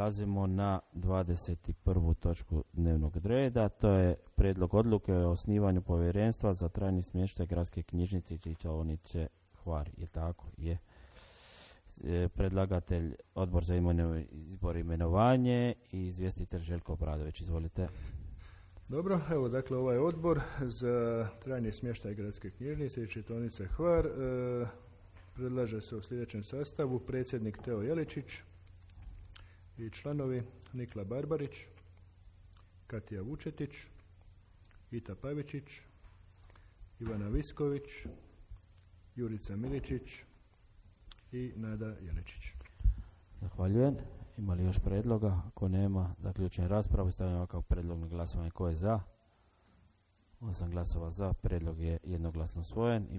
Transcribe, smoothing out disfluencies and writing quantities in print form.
prelazimo na 21. točku dnevnog reda. To je prijedlog odluke o osnivanju povjerenstva za trajni smještaj Gradske knjižnice i čitaonice Hvar. Je tako? Je. Predlagatelj Odbor za izbor i imenovanje i izvjestitelj Željko Obradović. Izvolite. Dobro, evo dakle ovaj odbor za trajni smještaj Gradske knjižnice i čitaonice Hvar predlaže se u sljedećem sastavu: predsjednik Teo Jeličić i članovi Nikla Barbarić, Katija Vučetić, Ita Pavičić, Ivana Visković, Jurica Miličić i Nada Jeličić. Zahvaljujem. Ima li još predloga? Ako nema, zaključujem raspravu i stavljam ovakav predlog na glasovanje. Ko je za? 8 glasova za. Predlog je jednoglasno usvojen.